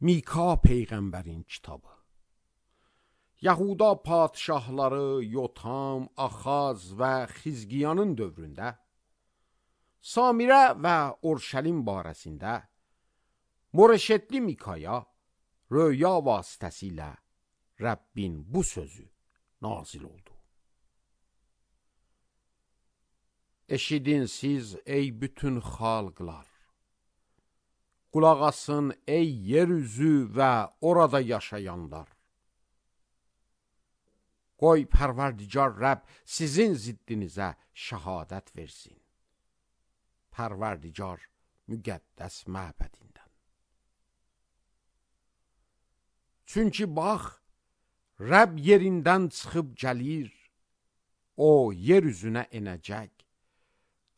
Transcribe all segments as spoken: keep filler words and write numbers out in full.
Mika peyğəmbərin kitabı. Yahuda padişahları Yotam, Axaz və Xizqiyanın dövründə Samirə və Urşəlim barəsində Moreşetli Mikaya röya vasitəsilə Rəbbin bu sözü nazil oldu. Eşidin siz ey bütün xalqlar, qulaq asın ey yeryüzü və orada yaşayanlar. Qoy Pərverdigar Rəbb sizin ziddinizə şəhadət versin. Pərverdigar müqəddəs məbədindən. Çünki bax, Rəbb yerindən çıxıb gəlir, o yer üzünə enəcək,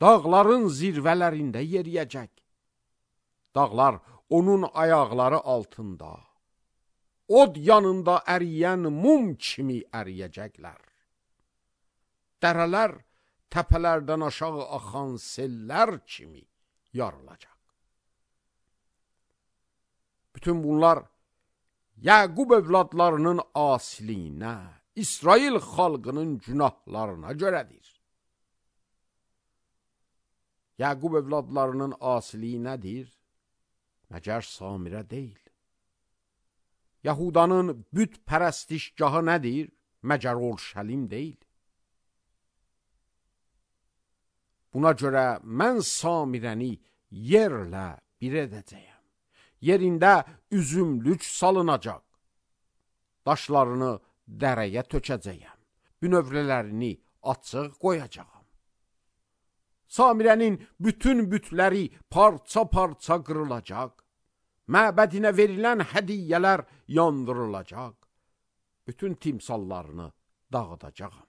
dağların zirvələrində yeriyəcək. Dağlar onun ayaqları altında, od yanında əriyən mum kimi əriyəcəklər. Dərələr təpələrdən aşağı axan sellər kimi yarılacaq. Bütün bunlar Yaqub övladlarının asiliyinə, İsrail xalqının günahlarına görədir. Yaqub övladlarının asiliyi nədir? Məgər Samirə deyil. Yahudanın büt pərəstişgahı nədir? Məgər Urşəlim deyil. Buna görə mən Samirəni yerlə bir edəcəyəm. Yerində üzümlük salınacaq. Daşlarını dərəyə tökəcəyəm. Bünövrələrini açıq qoyacağam. Samirənin bütün bütləri parça-parça qırılacaq. Məbədinə verilən hədiyyələr yandırılacaq. Bütün timsallarını dağıdacağam.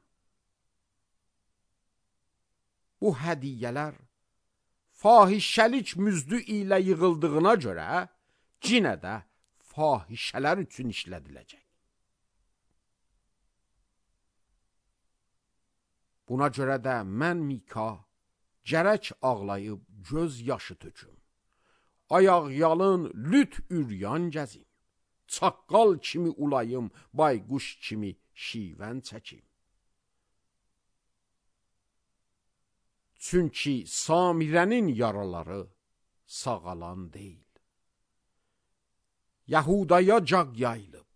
Bu hədiyyələr fahişəlik müzdü ilə yığıldığına görə cinə də fahişələr üçün işlədiləcək. Buna görə də mən Mika gərək ağlayıb göz yaşı töküm. Ayaq yalın lüt üryan gəzim. Çaqqal kimi ulayım, bayquş kimi şivən çəkim. Çünki Samirənin yaraları sağalan deyil. Yahudaya caq yayılıb.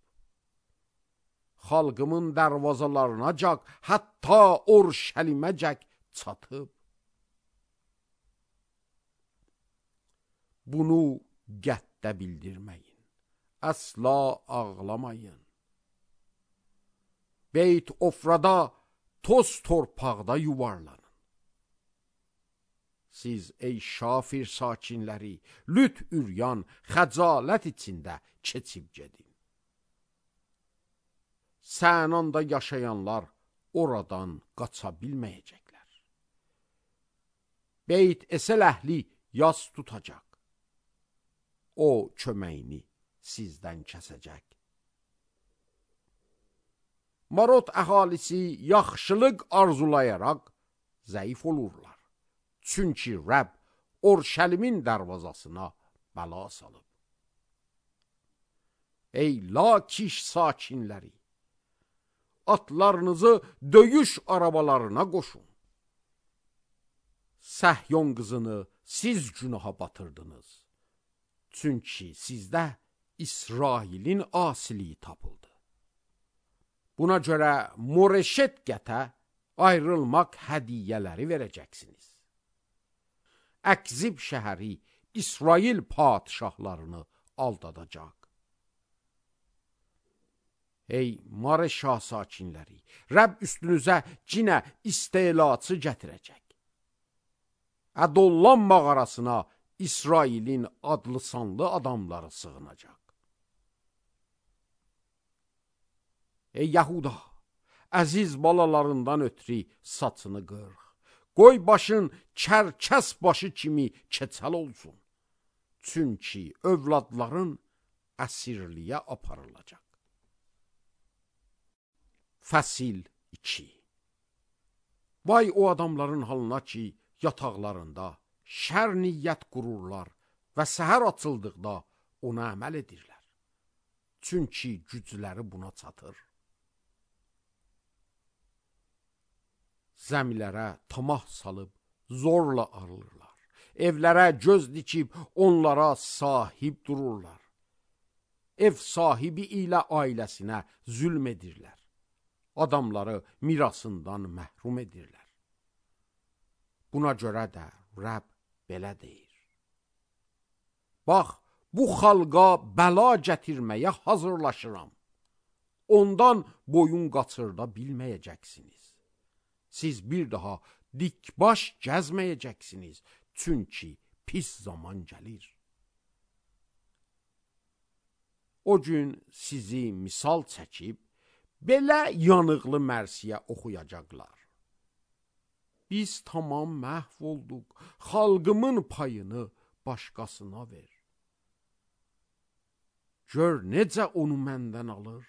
Xalqımın dərvazalarına caq, hətta Urşəlimə caq çatıb. Bunu qətdə bildirməyin, əsla ağlamayın. Beyt Ofrada, toz torpaqda yuvarlanın. Siz ey Şafir sakinləri, lüt üryan, xəcalət içində keçib gedin. Sənanda yaşayanlar oradan qaça bilməyəcəklər. Beyt Esel əhli yas tutacaq. O köməyini sizdən kəsəcək. Marot əhalisi yaxşılıq arzulayaraq zəif olurlar. Çünki Rəbb Urşəlimin dərvazasına bəla salıb. Ey Lakiş sakinləri, atlarınızı döyüş arabalarına qoşun. Səhyon qızını siz günaha batırdınız. Çünki sizdə İsrailin asiliyi tapıldı. Buna görə Moreşet qətə ayrılmaq hədiyyələri verəcəksiniz. Əkzib şəhəri İsrail padişahlarını aldadacaq. Ey Mareşa sakinləri, Rəbb üstünüzə cinə istelatı gətirəcək. Ədollan mağarasına İsrailin adlı sanlı adamları sığınacaq. Ey Yahuda, əziz balalarından ötürü saçını qırx. Qoy başın kərkəs başı kimi keçəl olsun. Çünki övladların əsirliyə aparılacaq. Fəsil iki. Vay o adamların halına ki, yataqlarında şər niyyət qururlar və səhər açıldıqda ona əməl edirlər. çünki gücləri buna çatır. Zəmilərə tamah salıb zorla alırlar. Evlərə göz dikib onlara sahib dururlar. Ev sahibi ilə ailəsinə zülm edirlər. Adamları mirasından məhrum edirlər. Buna görə də Rəbb belə deyir: Bax, bu xalqa bəla gətirməyə hazırlaşıram. Ondan boyun qaçırda bilməyəcəksiniz. Siz bir daha dikbaş gəzməyəcəksiniz, çünki pis zaman gəlir. O gün sizi misal çəkib, belə yanıqlı mərsiyə oxuyacaqlar. Biz tamam məhv olduq, xalqımın payını başqasına ver. Gör necə onu məndən alır,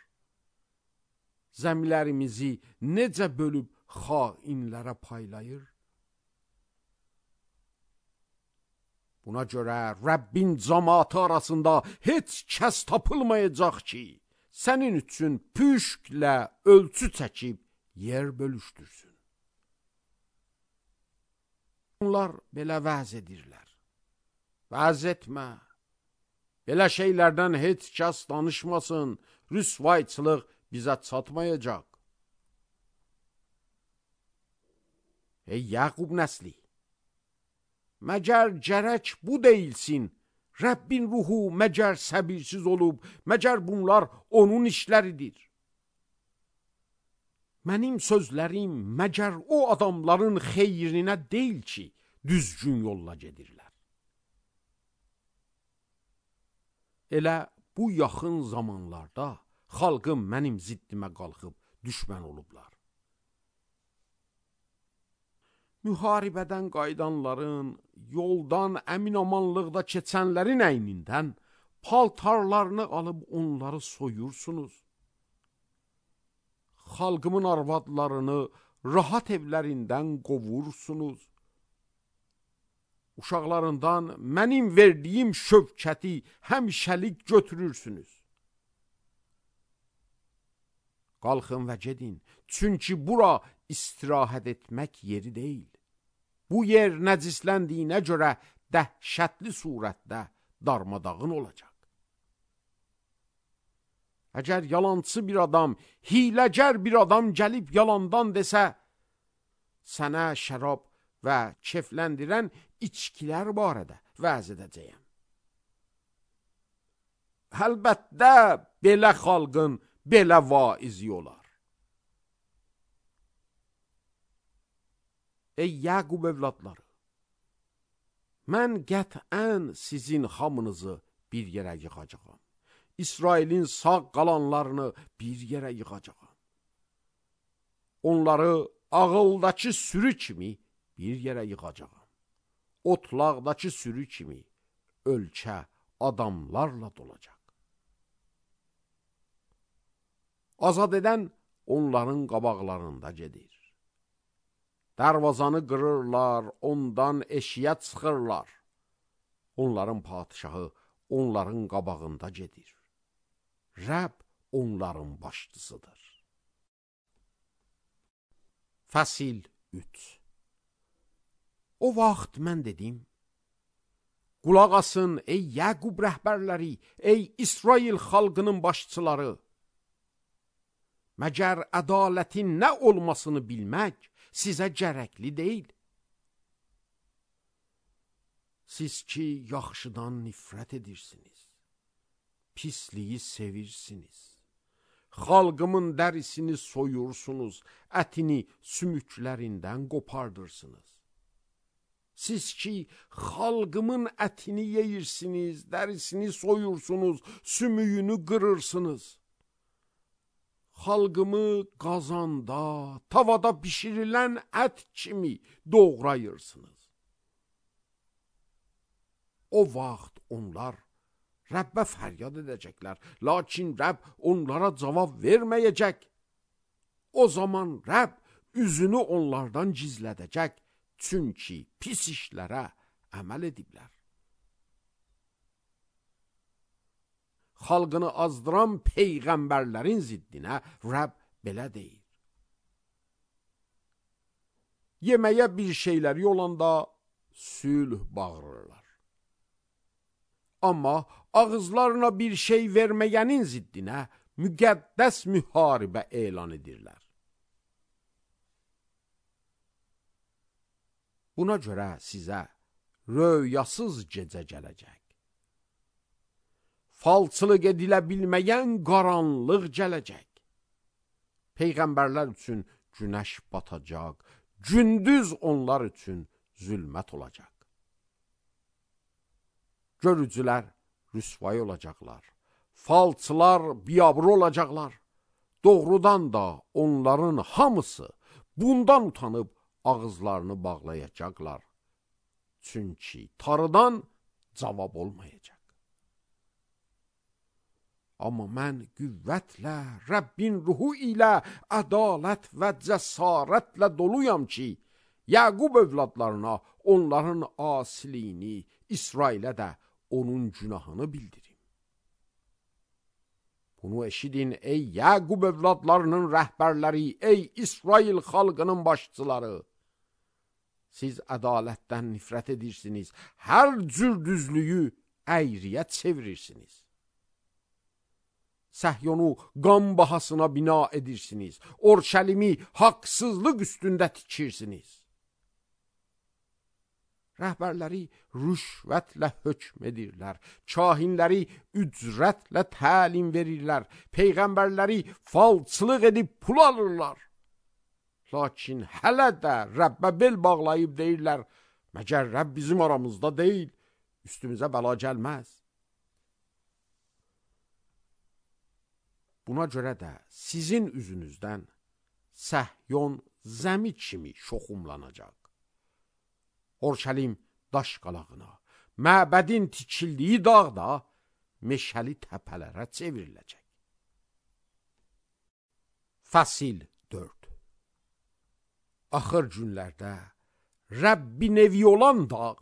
zəmilərimizi necə bölüb xainlərə paylayır. Buna görə Rəbbin cəmaatı arasında heç kəs tapılmayacaq ki, sənin üçün püşklə ölçü çəkib yer bölüşdürsün. Onlar belə vəz edirlər. Vəz etmə. Belə şeylərdən heç kəs danışmasın, rüsvayçılıq bizə çatmayacaq. Ey Yaqub nəsli, məgər gərək bu deyilsin, Rəbbin ruhu məgər səbirsiz olub, məgər bunlar onun işləridir. Mənim sözlərim məgər o adamların xeyrinə deyil ki, düzgün yolla gedirlər. Elə bu yaxın zamanlarda xalqım mənim ziddimə qalxıb düşmən olublar. Müharibədən qayıdanların, yoldan əminamanlıqda keçənlərin əynindən paltarlarını alıb onları soyursunuz. Xalqımın arvadlarını rahat evlərindən qovursunuz. Uşaqlarından mənim verdiyim şövkəti həmişəlik götürürsünüz. Qalxın və gedin, çünki bura istirahət etmək yeri deyil. Bu yer nəcisləndiyinə görə dəhşətli surətdə darmadağın olacaq. Əgər yalançı bir adam, hiləgər bir adam gəlib yalandan desə, sənə şərab və kefləndirən içkilər barədə vəz edəcəyəm. Əlbəttə, belə xalqın belə vaizi olar. Ey Yaqub evladları, mən qətən sizin hamınızı bir yerə yığacağam. İsrailin sağ qalanlarını bir yerə yığacağam. Onları ağıldakı sürü kimi bir yerə yığacağam. Otlaqdakı sürü kimi ölkə adamlarla dolacaq. Azad edən onların qabaqlarında gedir. Dərvazanı qırırlar, ondan eşiyə çıxırlar. Onların padişahı onların qabağında gedir. Rəbb onların başçısıdır. Fəsil üç. O vaxt mən dedim, qulaq asın ey Yaqub rəhbərləri, ey İsrail xalqının başçıları. Məgər ədalətin nə olmasını bilmək sizə gərəkli deyil. Siz ki, yaxşıdan nifrət edirsiniz, pisliyi sevirsiniz, xalqımın dərisini soyursunuz, ətini sümüklərindən qopardırsınız. Siz ki, xalqımın ətini yeyirsiniz, dərisini soyursunuz, sümüyünü qırırsınız. Xalqımı qazanda, tavada bişirilən ət kimi doğrayırsınız. O vaxt onlar Rəbbə fəryad edəcəklər, lakin Rəbb onlara cavab verməyəcək. O zaman Rəbb üzünü onlardan gizlədəcək, çünki pis işlərə əməl ediblər. xalqını azdıran peyğəmbərlərin ziddinə Rəbb belə deyir. Yeməyə bir şeyləri olanda sülh bağırırlar. Amma ağızlarına bir şey verməyənin ziddinə müqəddəs müharibə elan edirlər. Buna görə sizə röyasız gecə gələcək. Falçılıq edilə bilməyən qaranlıq gələcək. Peyğəmbərlər üçün günəş batacaq, gündüz onlar üçün zülmət olacaq. Görücülər rüsvay olacaqlar, falçılar biabır olacaqlar. Doğrudan da onların hamısı bundan utanıb ağızlarını bağlayacaqlar. Çünki tarıdan cavab olmayacaq. Amma mən qüvvətlə, Rəbbin ruhu ilə, ədalət və cəsarətlə doluyam ki, Yaqub övladlarına onların asiliyini, İsrailə də onun günahını bildirim. Bunu eşidin ey Yaqub övladlarının rəhbərləri, ey İsrail xalqının başçıları. Siz ədalətdən nifrət edirsiniz, hər cür düzlüyü əyriyə çevirirsiniz. Səhyonu qan bahasına bina edirsiniz, Orşəlimi haqsızlıq üstündə tikirsiniz. Rəhbərləri rüşvətlə hökm edirlər, kahinləri ücrətlə təlim verirlər, peyğəmbərləri falçılıq edib pul alırlar. Lakin hələ də Rəbbə bel bağlayıb deyirlər, məgər Rəbb bizim aramızda deyil, üstümüzə bəla gəlməz. Buna görə də sizin üzünüzdən Səhyon zəmi kimi şoxumlanacaq. Orşəlim daş qalağına, məbədin tikildiyi dağda meşəli təpələrə çevriləcək. Fəsil dörd. Axır günlərdə Rəbbin evi olan dağ,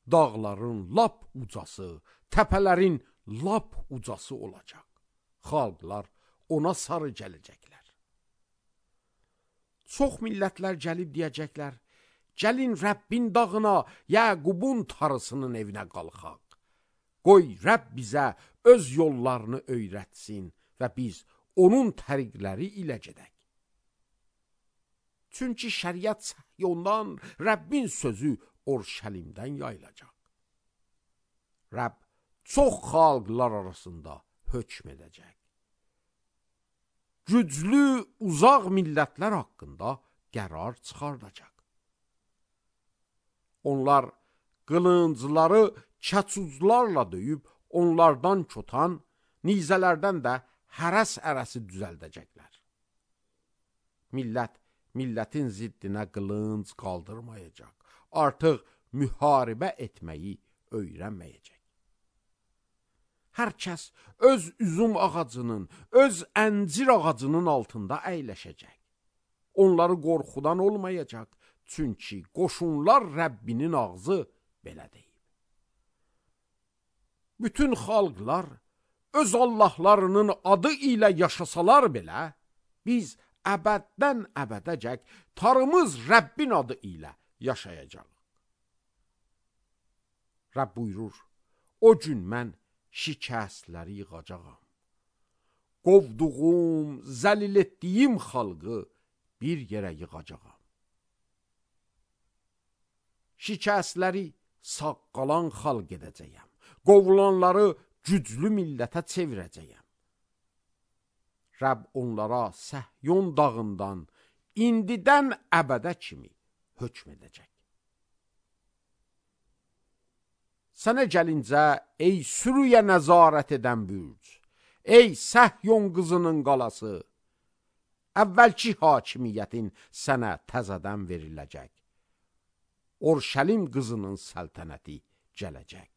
dağların lap ucası, təpələrin lap ucası olacaq. Xalqlar ona sarı gələcəklər. Çox millətlər gəlib deyəcəklər, gəlin Rəbbin dağına, Yaqubun tarısının evinə qalxaq. Qoy Rəbb bizə öz yollarını öyrətsin və biz onun təriqləri ilə gedək. Çünki şəriət Səhyondan, Rəbbin sözü Orşəlimdən yayılacaq. Rəbb çox xalqlar arasında hökm edəcək. Güclü, uzaq millətlər haqqında qərar çıxardacaq. Onlar qılıncları kəçuzlarla döyüb, onlardan çotan, nizələrdən də hərəs ərəsi düzəldəcəklər. Millət, millətin ziddinə qılınc qaldırmayacaq. Artıq müharibə etməyi öyrənməyəcək. Hər kəs öz üzüm ağacının, öz əncir ağacının altında əyləşəcək. Onları qorxudan olmayacaq, çünki qoşunlar Rəbbinin ağzı belə deyib. Bütün xalqlar öz Allahlarının adı ilə yaşasalar belə, biz əbəddən əbədəcək tarımız Rəbbin adı ilə yaşayacaq. Rəbb buyurur, o gün mən şikəstləri yığacağam. Qovduğum, zəlil etdiyim xalqı bir yerə yığacağam. Şikəstləri sağ qalan xalq edəcəyəm. Qovulanları güclü millətə çevirəcəyəm. Rəbb onlara Səhyon dağından indidən əbədə kimi hökm edəcək. Sənə gəlincə, ey sürüyə nəzarət edən bürc, ey Səhyon qızının qalası, əvvəlki hakimiyyətin sənə təzədən veriləcək. Orşəlim qızının səltənəti gələcək.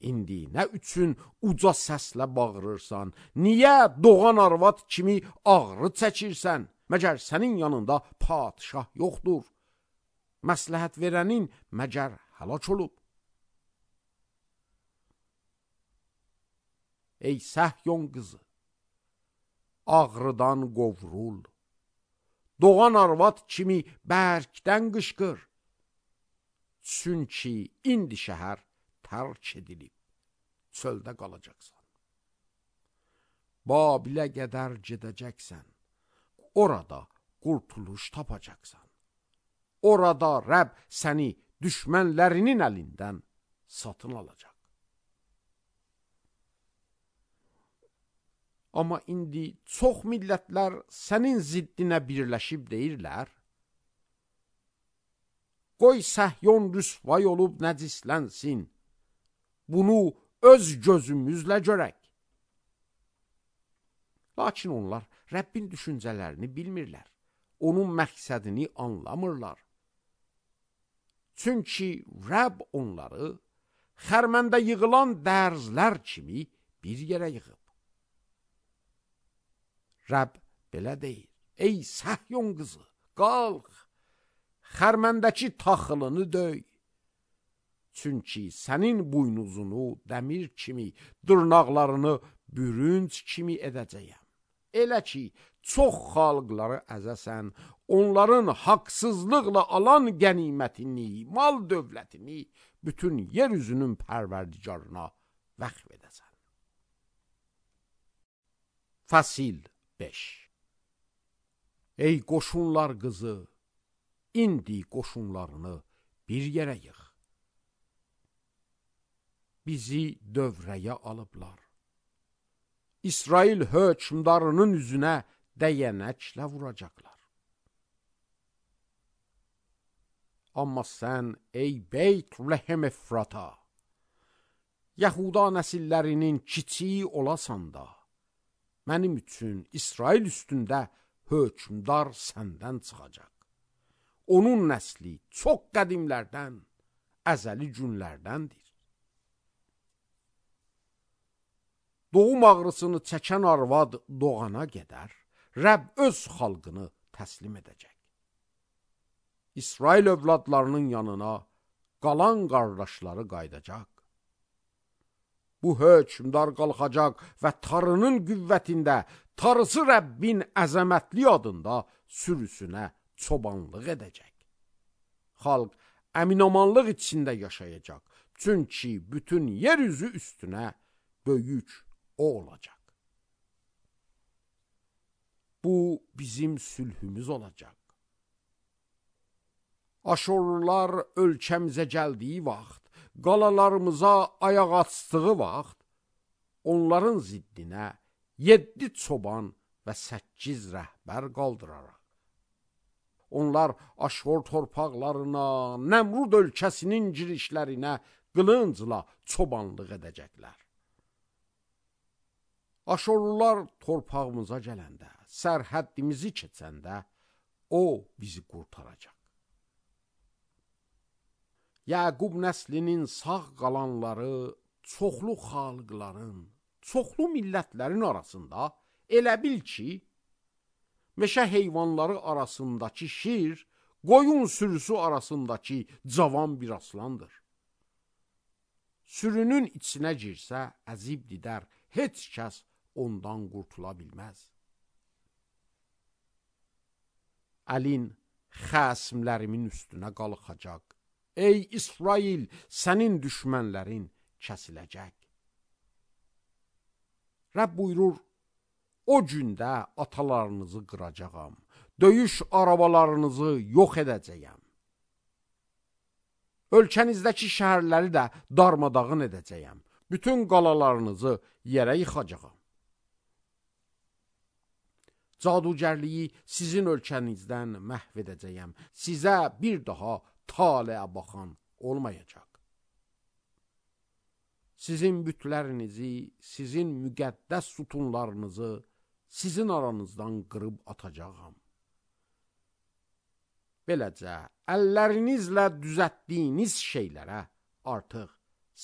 İndi nə üçün uca səslə bağırırsan, niyə doğan arvad kimi ağrı çəkirsən, məgər sənin yanında padişah yoxdur? Məsləhət verənin məgər həlak olub? ey Səhyon qızı, ağrıdan qovrul, doğan arvad kimi bərkdən qışqır, çünki indi şəhər tərk edilib, çöldə qalacaqsan. Babilə qədər gedəcəksən, orada qurtuluş tapacaqsan. Orada Rəbb səni düşmənlərinin əlindən satın alacaq. Amma indi çox millətlər sənin ziddinə birləşib deyirlər, qoy Səhyon rüsvay olub nəcislənsin, bunu öz gözümüzlə görək. Lakin onlar Rəbbin düşüncələrini bilmirlər, onun məqsədini anlamırlar. Çünki Rəbb onları xərməndə yığılan dərzlər kimi bir yerə yığıb. Rəbb belə deyir, ey Səhyon qızı, qalx, xərməndəki taxılını döy. Çünki sənin buynuzunu dəmir kimi, dırnaqlarını bürünc kimi edəcəyəm. Elə ki, çox xalqları əzəsən, onların haqsızlıqla alan qənimətini, mal dövlətini bütün yer üzünün pərverdigarına vəqf edəsən. Fəsil beş. Ey qoşunlar qızı, indi qoşunlarını bir yerə yığ. Bizi dövrəyə alıblar. İsrail hökmdarının üzünə dəyənəklə vuracaqlar. Amma sən, ey Beyt-Lehem Efrata, Yahuda nəsillərinin kiçiyi olasan da, mənim üçün İsrail üstündə hökmdar səndən çıxacaq. Onun nəsli çox qədimlərdən, əzəli günlərdəndir. Doğum ağrısını çəkən arvad doğana qədər, Rəbb öz xalqını təslim edəcək. İsrail övladlarının yanına qalan qardaşları qaydacaq. Bu hökmdar qalxacaq və tarının qüvvətində, tarısı Rəbbin əzəmətli adında sürüsünə çobanlıq edəcək. Xalq əminamanlıq içində yaşayacaq, çünki bütün yer üzü üstünə böyük o olacaq. Bu bizim sülhümüz olacaq. Aşorlular ölkəmizə gəldiyi vaxt, qalalarımıza ayaq açdığı vaxt, onların ziddinə yeddi çoban və səkkiz rəhbər qaldıraraq. Onlar Aşor torpaqlarına, Nəmrud ölkəsinin girişlərinə qılıncla çobanlıq edəcəklər. Aşorlular torpağımıza gələndə, sərhəddimizi keçəndə, o bizi qurtaracaq. Yaqub nəslinin sağ qalanları çoxlu xalqların, çoxlu millətlərin arasında elə bil ki, meşə heyvanları arasındakı şir, qoyun sürüsü arasındakı cavan bir aslandır. Sürünün içinə girsə, əzib didər, heç kəs ondan qurtula bilməz. Əlin xəsmlərimin üstünə qalxacaq. Ey İsrail, sənin düşmənlərin kəsiləcək. Rəbb buyurur, o gündə atalarınızı qıracağam, döyüş arabalarınızı yox edəcəyəm. Ölkənizdəki şəhərləri də darmadağın edəcəyəm. Bütün qalalarınızı yerə yıxacağam. Cadugərliyi sizin ölkənizdən məhv edəcəyəm. Sizə bir daha taleə baxan olmayacaq. Sizin bütlərinizi, sizin müqəddəs sütunlarınızı sizin aranızdan qırıb atacağam. Beləcə, əllərinizlə düzətdiyiniz şeylərə artıq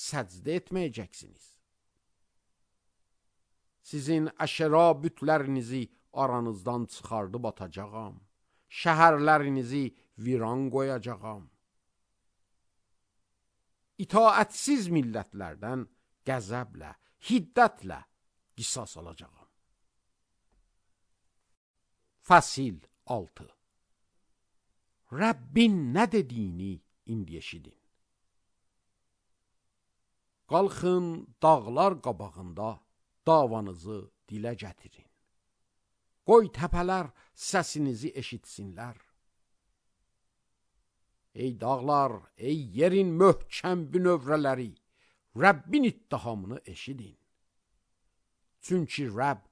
səcdə etməyəcəksiniz. Sizin əşəra bütlərinizi aranızdan çıxardıb atacağam. Şəhərlərinizi viran qoyacağam. İtaətsiz millətlərdən qəzəblə, hiddətlə qisas alacağam. Fəsil altı. Rəbbin nə dediyini indi eşidin. Qalxın dağlar qabağında davanızı dilə gətirin. Qoy təpələr səsinizi eşitsinlər. Ey dağlar, ey yerin möhkəm bünövrələri, Rəbbin ittihamını eşidin. Çünki Rəbb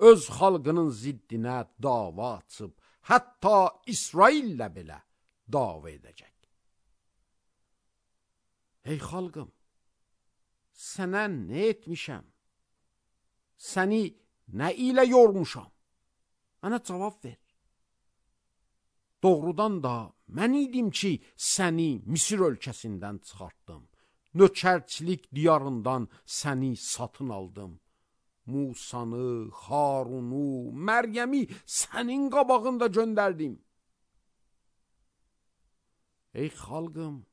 öz xalqının ziddinə dava açıb, hətta İsraillə belə dava edəcək. Ey xalqım, sənə nə etmişəm? Səni nə ilə yormuşam? Mənə cavab ver. Doğrudan da mən idim ki, səni Misir ölkəsindən çıxartdım. Nökərçilik diyarından səni satın aldım. Musanı, Harunu, Məryəmi sənin qabağında göndərdim. Ey xalqım,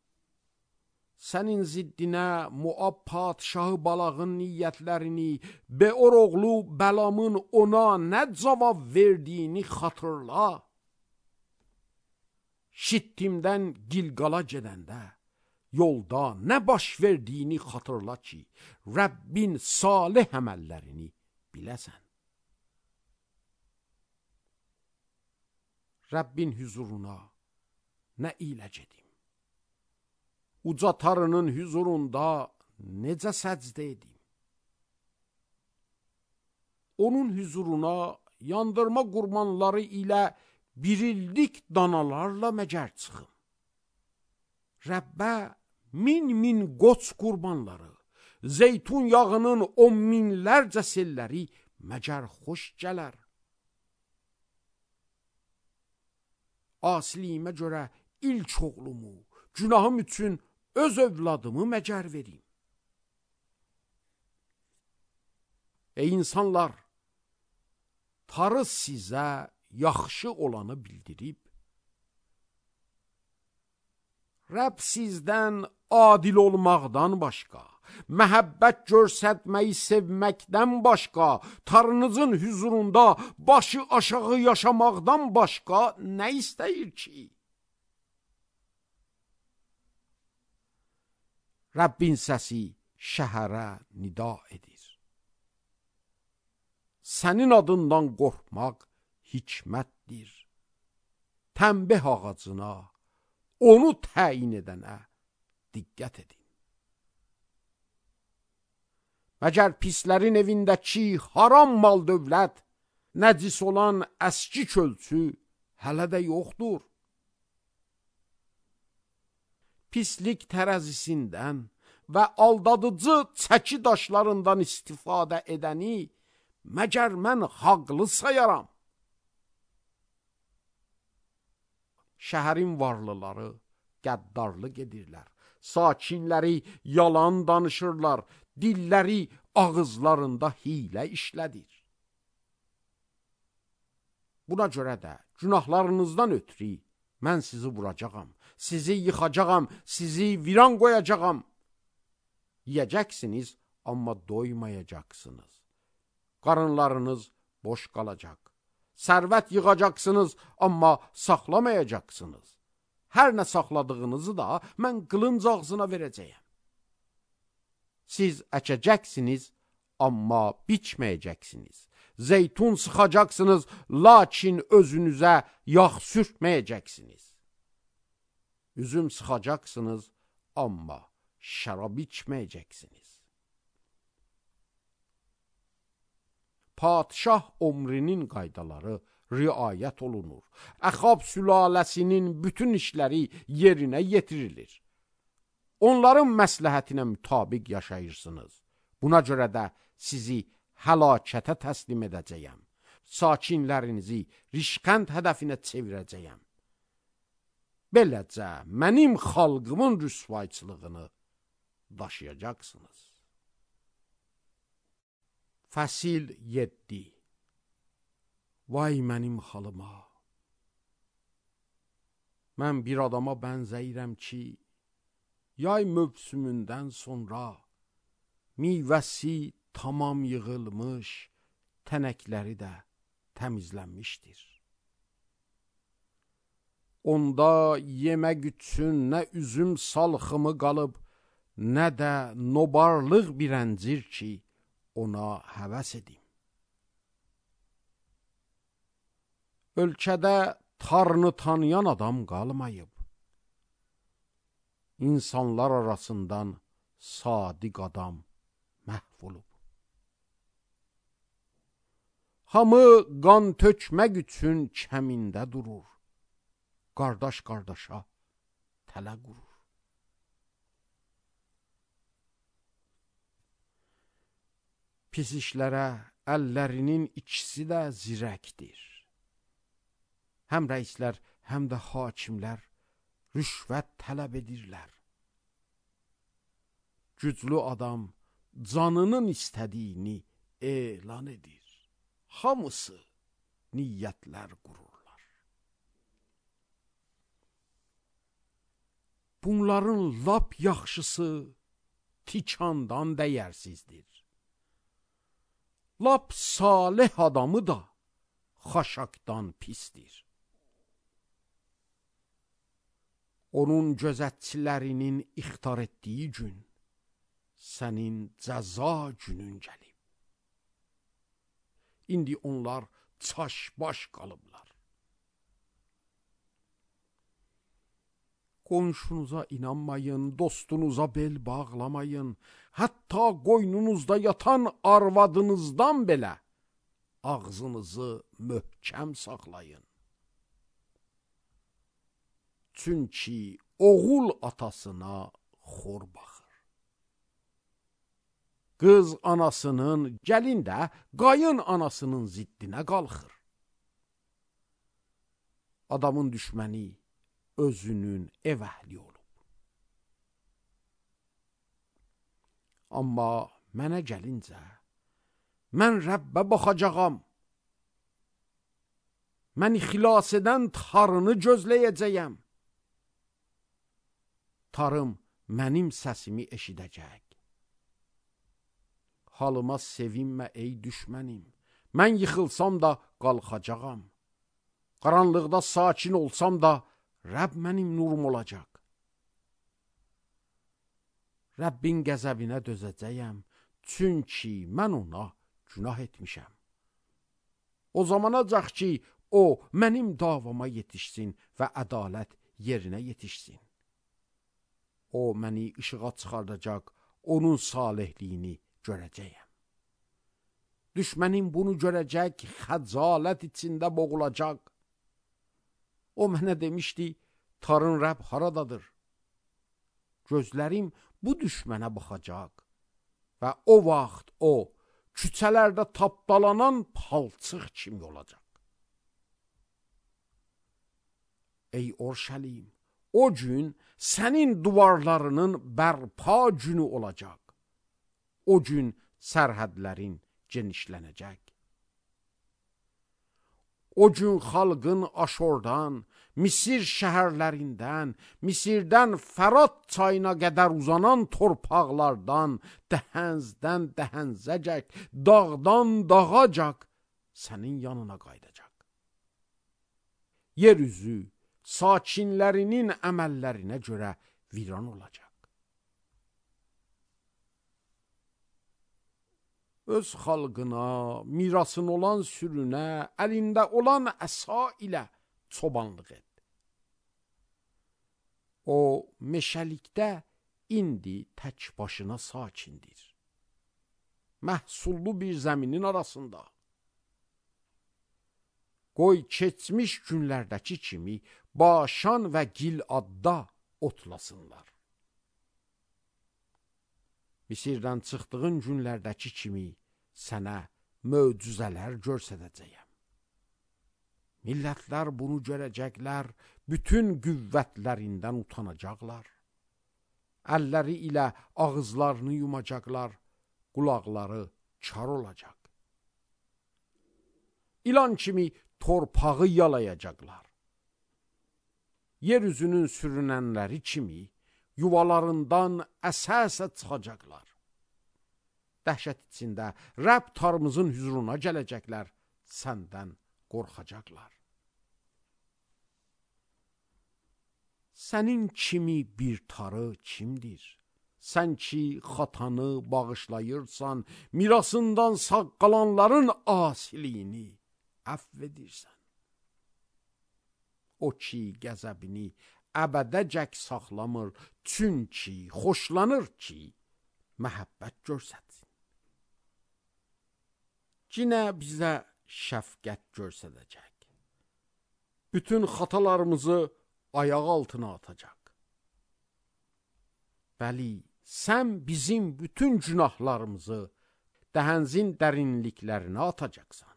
sənin ziddinə Moab padşahı Balağın niyyətlərini, Beor oğlu Bəlamın ona nə cavab verdiyini xatırla. Şittimdən Gilqala gedəndə, yolda nə baş verdiyini xatırla ki, Rəbbin salih əməllərini biləsən. Rəbbin hüzuruna nə ilə gedim? Uca tarının hüzurunda necə səcdə edim? Onun hüzuruna yandırma qurbanları ilə birillik danalarla məgər çıxım. Rəbbə min min qoç qurbanları, zeytun yağının on minlərcə selləri məgər xoş gələr. Asiliyimə görə ilk oğlumu, günahım üçün öz övladımı məgər verim. Ey insanlar, tarı sizə yaxşı olanı bildirib, Rəbb sizdən adil olmaqdan başqa, məhəbbət görsətməyi sevməkdən başqa, tarınızın hüzurunda başı aşağı yaşamaqdan başqa nə istəyir ki? Rəbbin səsi şəhərə nida edir. Sənin adından qorxmaq hikmətdir. Tənbih ağacına, onu təyin edənə diqqət edin. Məgər pislərin evindəki haram mal dövlət, nəcis olan əski kölçü hələ də yoxdur. Pislik tərəzisindən və aldadıcı çəki daşlarından istifadə edəni məgər mən haqlı sayaram? Şəhərin varlıları qəddarlıq edirlər, sakinləri yalan danışırlar, dilləri ağızlarında hiylə işlədir. Buna görə də günahlarınızdan ötürü mən sizi vuracağam, sizi yıxacağam, sizi viran qoyacağam. Yiyəcəksiniz, amma doymayacaqsınız. Qarınlarınız boş qalacaq. Sərvət yığacaqsınız, amma saxlamayacaqsınız. Hər nə saxladığınızı da mən qılınc ağzına verəcəyəm. Siz əkəcəksiniz, amma biçməyəcəksiniz. Zeytun sıxacaqsınız, lakin özünüzə yağ sürtməyəcəksiniz. Üzüm sıxacaqsınız, amma şərab içməyəcəksiniz. Padşah ömrünün qaydaları riayət olunur. Əxab sülaləsinin bütün işləri yerinə yetirilir. Onların məsləhətinə mütabiq yaşayırsınız. Buna görə də sizi həlakətə təslim edəcəyəm. Sakinlərinizi rişqənd hədəfinə çevirəcəyəm. Beləcə mənim xalqımın rüsvayçılığını daşıyacaqsınız. Fəsil yeddi. Vay mənim halıma! Mən bir adama bənzəyirəm ki, yay mövsümündən sonra meyvəsi tamam yığılmış, tənəkləri də təmizlənmişdir. Onda yemək üçün nə üzüm salxımı qalıb, nə də nobarlıq bir əncir ki, ona həvəs edim. Ölkədə tarını tanıyan adam qalmayıb. İnsanlar arasından sadiq adam məhv olub. Hamı qan tökmək üçün kəmində durur. Qardaş qardaşa tələ qurur. Pis işlərə əllərinin ikisi də zirəkdir. Həm rəislər, həm də hakimlər rüşvət tələb edirlər. Güclü adam canının istədiyini elan edir. Hamısı niyyətlər qururlar. Bunların lap yaxşısı tikandan dəyərsizdir. Lap salih adamı da xaşaqdan pisdir. Onun gözətçilərinin ixtar etdiyi gün sənin cəza günün gəlib. İndi onlar çaş-baş qalıblar. Qonşunuza inanmayın, dostunuza bel bağlamayın. Hətta qoynunuzda yatan arvadınızdan belə ağzınızı möhkəm saxlayın. Çünki oğul atasına xor baxır. Qız anasının, gəlin də qayın anasının ziddinə qalxır. Adamın düşməni özünün ev əhli olub. Amma mənə gəlincə, mən Rəbbə baxacağam. Məni xilas edən tarını gözləyəcəyəm. Tarım mənim səsimi eşidəcək. Halıma sevinmə ey düşmənim. Mən yıxılsam da qalxacağam. Qaranlıqda sakin olsam da Rəbb mənim nurum olacaq. Rəbbin qəzəbinə dözəcəyəm, çünki mən ona günah etmişəm. O zamanacaq ki, o mənim davama yetişsin və ədalət yerinə yetişsin. O məni işığa çıxardacaq, onun salihliyini görəcəyəm. Düşmənim bunu görəcək, xəcalət içində boğulacaq. O mənə demişdi, tarın Rəbb haradadır? Gözlərim bu düşmənə baxacaq və o vaxt o, küçələrdə tapdalanan palçıq kimi olacaq. Ey Orşəlim, o gün sənin duvarlarının bərpa günü olacaq. O gün sərhədlərin genişlənəcək. O gün xalqın Aşordan, Misir şəhərlərindən, Misirdən Fərat çayına qədər uzanan torpaqlardan, dəhəzdən dəhəzəcək, dağdan dağacaq sənin yanına qaydacaq. Yer üzü sakinlərinin əməllərinə görə viran olacaq. Öz xalqına, mirasın olan sürünə, əlində olan əsa ilə çobanlıq et. O, meşəlikdə indi tək başına sakindir. Məhsullu bir zəminin arasında. Qoy keçmiş günlərdəki kimi Başan və Giladda otlasınlar. Misirdən çıxdığın günlərdəki kimi sənə möcüzələr göstərəcəyəm. Millətlər bunu görəcəklər, bütün qüvvətlərindən utanacaqlar. Əlləri ilə ağızlarını yumacaqlar, qulaqları kar olacaq. İlan kimi torpağı yalayacaqlar. Yeryüzünün sürünənləri kimi yuvalarından əsə-əsə çıxacaqlar. dəhşət içində Rəbb tarımızın hüzuruna gələcəklər, səndən qorxacaqlar. Sənin kimi bir tarı kimdir? Sən ki, xatanı bağışlayırsan, mirasından sağ qalanların asiliyini əfv edirsən. O ki, qəzəbini əbədəcək saxlamır, çünki xoşlanır ki, məhəbbət görsətsin. Cinə bizə şəfqət görsədəcək. Bütün xatalarımızı ayaq altına atacaq. Bəli, sən bizim bütün günahlarımızı dəhənzin dərinliklərinə atacaqsan.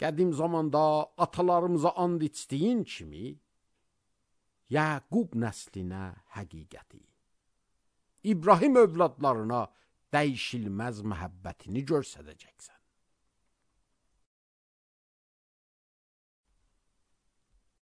Qədim zamanda atalarımıza and içdiyin kimi, Yaqub nəslinə həqiqəti, İbrahim övladlarına dəyişilməz məhəbbətini görsədəcəksən.